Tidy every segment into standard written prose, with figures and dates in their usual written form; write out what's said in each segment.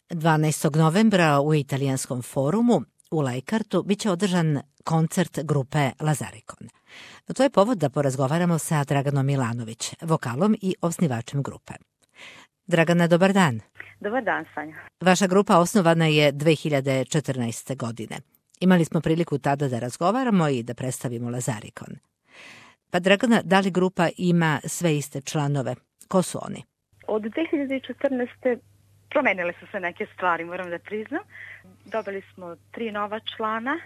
12. novembra u Italijanskom forumu u Lajkartu biće održan koncert grupe Lazarikon. To je povod da porazgovaramo sa Draganom Milanović, vokalom i osnivačem grupe. Dragana, dobar dan. Dobar dan, Sanja. Vaša grupa osnovana je 2014. godine. Imali smo priliku tada da razgovaramo i da predstavimo Lazarikon. Pa Dragana, da li grupa ima sve iste članove? Ko su oni? Od 2014. promenile su se neke stvari, moram da priznam. Dobili smo 3 nova člana.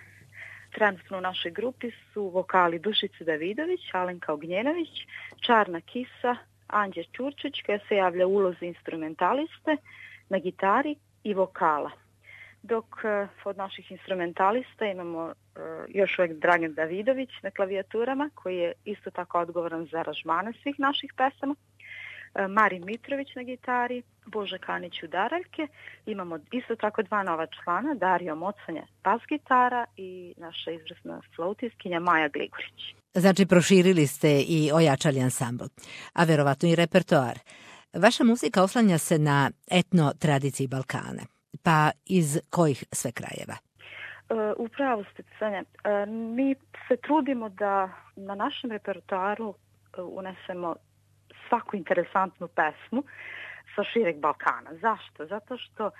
Trenutno u našoj grupi su vokali Dušica Davidović, Alenka Ognjenović, Čarna Kisa, Anđe Ćurčić, koja se javlja u ulozi instrumentaliste, na gitari i vokala. Dok od naših instrumentalista imamo još uvijek Dragan Davidović na klavijaturama, koji je isto tako odgovoran za aranžmane svih naših pesama, Marin Mitrović na gitari, Boža Kanić udaraljke. Imamo isto tako 2 nova člana, Dario Mocanja bas gitara i naša izvrsna flautiskinja Maja Gligorić. Znači, proširili ste i ojačali ansambl, a verovatno i repertoar. Vaša muzika oslanja se na etno tradiciji Balkana. Pa iz kojih sve krajeva? Upravo ste, Sanja. Mi se trudimo da na našem repertoaru unesemo svaku interesantnu pesmu sa šireg Balkana. Zašto? Zato što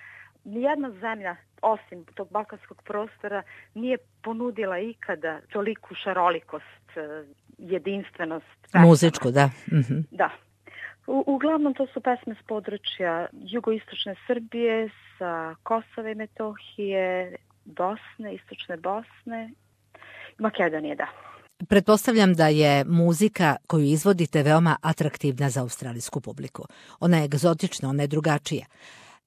nijedna zemlja, osim tog balkanskog prostora, nije ponudila ikada toliku šarolikost, jedinstvenost pesama. Muzičku, da. Mm-hmm. Da. Uglavnom to su pesme s područja jugoistočne Srbije, sa Kosova i Metohije, Bosne, istočne Bosne, Makedonije, da. Pretpostavljam da je muzika koju izvodite veoma atraktivna za australijsku publiku. Ona je egzotična, ona je drugačija.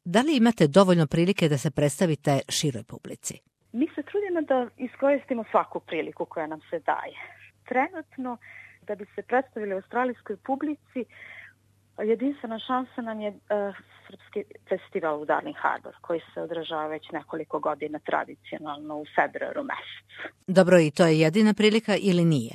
Da li imate dovoljno prilike da se predstavite široj publici? Mi se trudimo da iskoristimo svaku priliku koja nam se daje. Trenutno, da bi se predstavili australijskoj publici, jedinstvena šansa nam je Srpski festival u Darling Harbour, koji se održava već nekoliko godina tradicionalno u februaru mesecu. Dobro, i to je jedina prilika ili nije?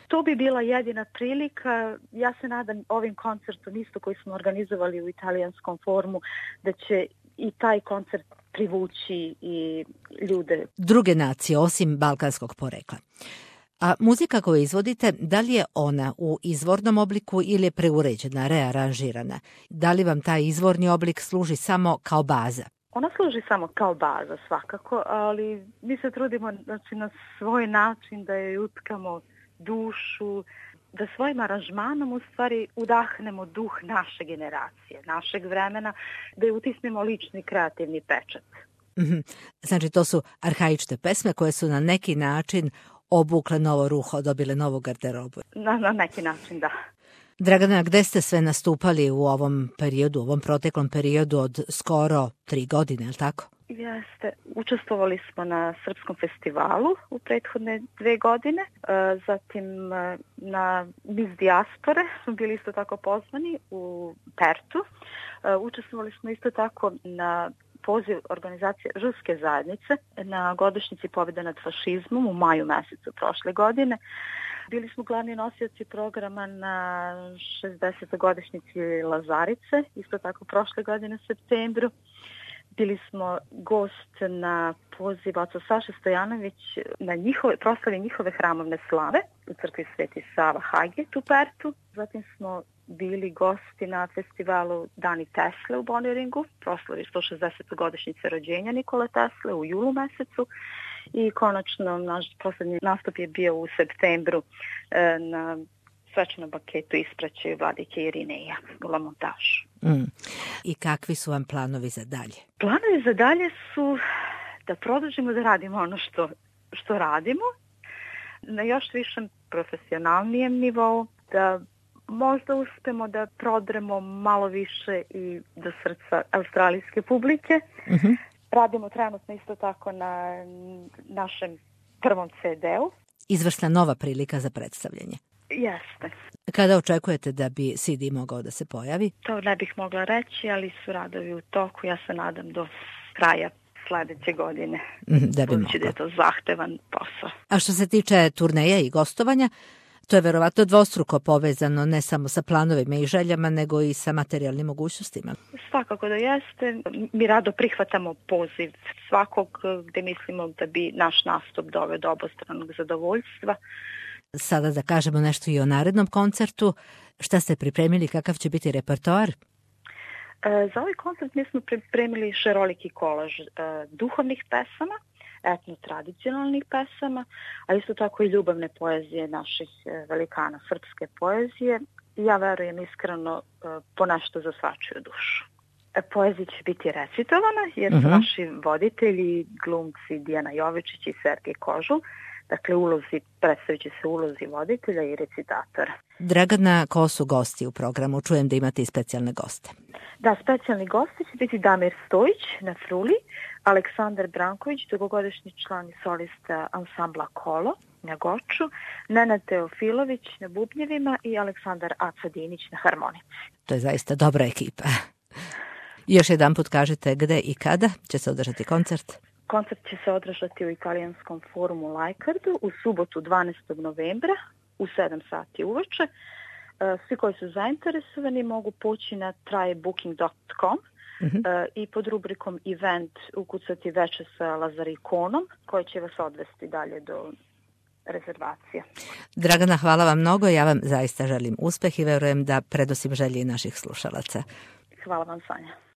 To bi bila jedina prilika. Ja se nadam ovim koncertom isto koji smo organizovali u Italijanskom forumu, da će i taj koncert privući i ljude. Druge nacije, osim balkanskog porekla. A muzika koju izvodite, da li je ona u izvornom obliku ili je preuređena, rearanžirana? Da li vam taj izvorni oblik služi samo kao baza? Ona služi samo kao baza svakako, ali mi se trudimo, znači, na svoj način da joj utkamo dušu, da svojim aranžmanom u stvari udahnemo duh naše generacije, našeg vremena, da je utisnemo lični kreativni pečat. Mm-hmm. Znači, to su arhaične pesme koje su na neki način obukle novo ruho, dobile novu garderobu. Na neki način, da. Dragana, gde ste sve nastupali u ovom periodu, u ovom proteklom periodu od skoro 3 godine, je li tako? Jeste. Učestvovali smo na Srpskom festivalu u prethodne 2 godine, zatim na Miss Dijaspore smo bili isto tako pozvani u Pertu. Učestvovali smo isto tako na poziv organizacije Ruske zajednice na godišnjici pobjede nad fašizmom u maju mesecu prošle godine. Bili smo glavni nosioci programa na 60. godišnjici Lazarice, isto tako prošle godine u septembru. Bili smo gost na poziv oca Saše Stojanović na proslavi njihove hramovne slave u crkvi Sveti Sava Highgate u Pertu. Zatim smo bili gosti na festivalu Dani Tesle u Bonneringu, proslavi 160. godišnjice rođenja Nikole Tesle u julu mesecu. I konačno naš poslednji nastup je bio u septembru na svečanom baketu ispraćaju vladike Irineja u La Montažu. I kakvi su vam planovi za dalje? Planovi za dalje su da produžimo da radimo ono što radimo na još višem profesionalnijem nivou, da možda uspemo da prodremo malo više i do srca australijske publike. Mm-hmm. Radimo trenutno isto tako na našem prvom CD-u. Izvrsna nova prilika za predstavljanje. Jeste. Kada očekujete da bi CD mogao da se pojavi? To ne bih mogla reći, ali su radovi u toku. Ja se nadam do kraja sledeće godine. Da bi mogla. Da je to zahtevan posao. A što se tiče turneja i gostovanja, To je verovatno dvostruko povezano ne samo sa planovima i željama, nego i sa materijalnim mogućnostima. Svakako da jeste. Mi rado prihvatamo poziv svakog gde mislimo da bi naš nastup doveo do obostranog zadovoljstva. Sada da kažemo nešto i o narednom koncertu. Šta ste pripremili, kakav će biti repertoar? Za ovaj koncert mi smo pripremili šaroliki kolaž duhovnih pesama, etno-tradicionalnih pesama, a isto tako i ljubavne poezije naših velikana srpske poezije. Ja verujem iskreno po nešto za svačiju dušu. Poezija će biti recitovana jer su naši voditelji, glumci Dijana Jovičić i Sergej Kožul. Dakle, predstavit će se ulozi voditelja i recitatora. Dragana, ko su gosti u programu? Čujem da imate i specijalne goste. Da, specijalni gosti će biti Damir Stojić na fruli, Aleksandar Branković, dugogodišnji član i solista ansambla Kolo na goču, Nenad Teofilović na bubnjevima i Aleksandar Acadinić na harmonici. To je zaista dobra ekipa. Još jedan put kažete gde i kada će se održati koncert? Koncert će se održati u Italijanskom forumu Lajkardu u subotu 12. novembra u 7 sati uveče. Svi koji su zainteresovani mogu poći na trybooking.com i pod rubrikom event ukucati veče sa Lazarikonom koji će vas odvesti dalje do rezervacija. Dragana, hvala vam mnogo. Ja vam zaista želim uspeh i verujem da predosim želji naših slušalaca. Hvala vam, Sanja.